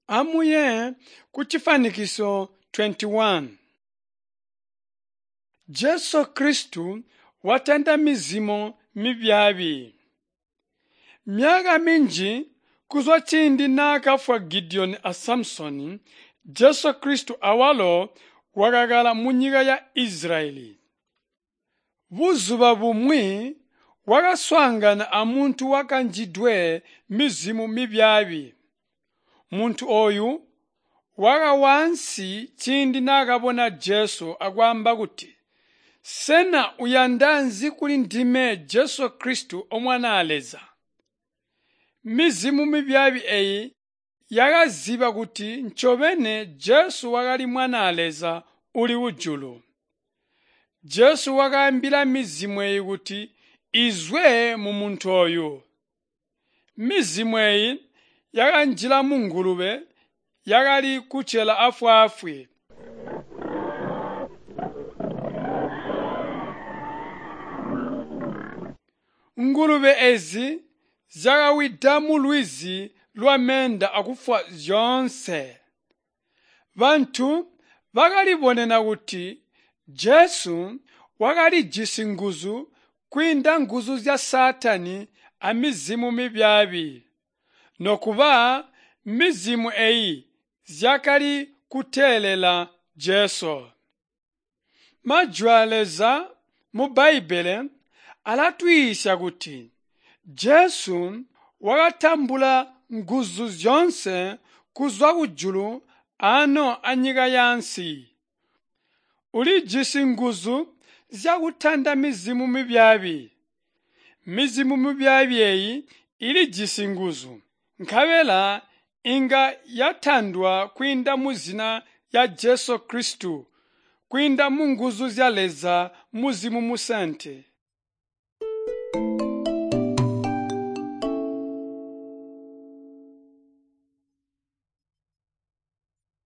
Amuye kucifwanikiso 21. Jesu Kristo watanda mizimo mibyaabi. Myaka minji kuzwa ciindi naakafwa Gideoni a Samsoni, Jesu Kristo awalo wakakkala munyika ya Israyeli. Buzuba bumwi wakaswaangana amuntu wakanjidwe mizimo mibyaabi. Muntu ooyu wakawa ansi ciindi naakabona Jesu akwaamba kuti, “Sena uyanda nzi kulindime Jesu Kristo O Mwanaa Leza?” Mizimo mibyaabi eeyi yakazyiba kuti ncobeni Jesu wakali Mwanaa Leza uuli kujulu. Jesu wakaambila mizimo eeyi kuti izwe mumuntu ooyu. Mizimo eeyi yakanjila mungulube yakali kucela afwaafwi. Ngulube eezi zyakawida mulwizi lwameenda akufwa zyoonse. Bantu bakalibonena kuti Jesu wakalijisi nguzu kwiinda nguzu zya Saatani amizimo mibyaabi. Nokuba mizimo eeyi zyakali kuteelela Jesu. Majwi aa Leza mu Bbaibbele alatuyiisya kuti Jesu wakatambula nguzu zyoonse kuzwa kujulu aano anyika yaansi. Ulijisi nguzu zyakutanda mizimo mibyaabi. Mizimo mibyaabi eeyi ilijisi nguzu, nkabela inga yatandwa kwiinda muzina lya Jesu Kristo, kwiinda munguzu zya Leza Muzimu Musaante.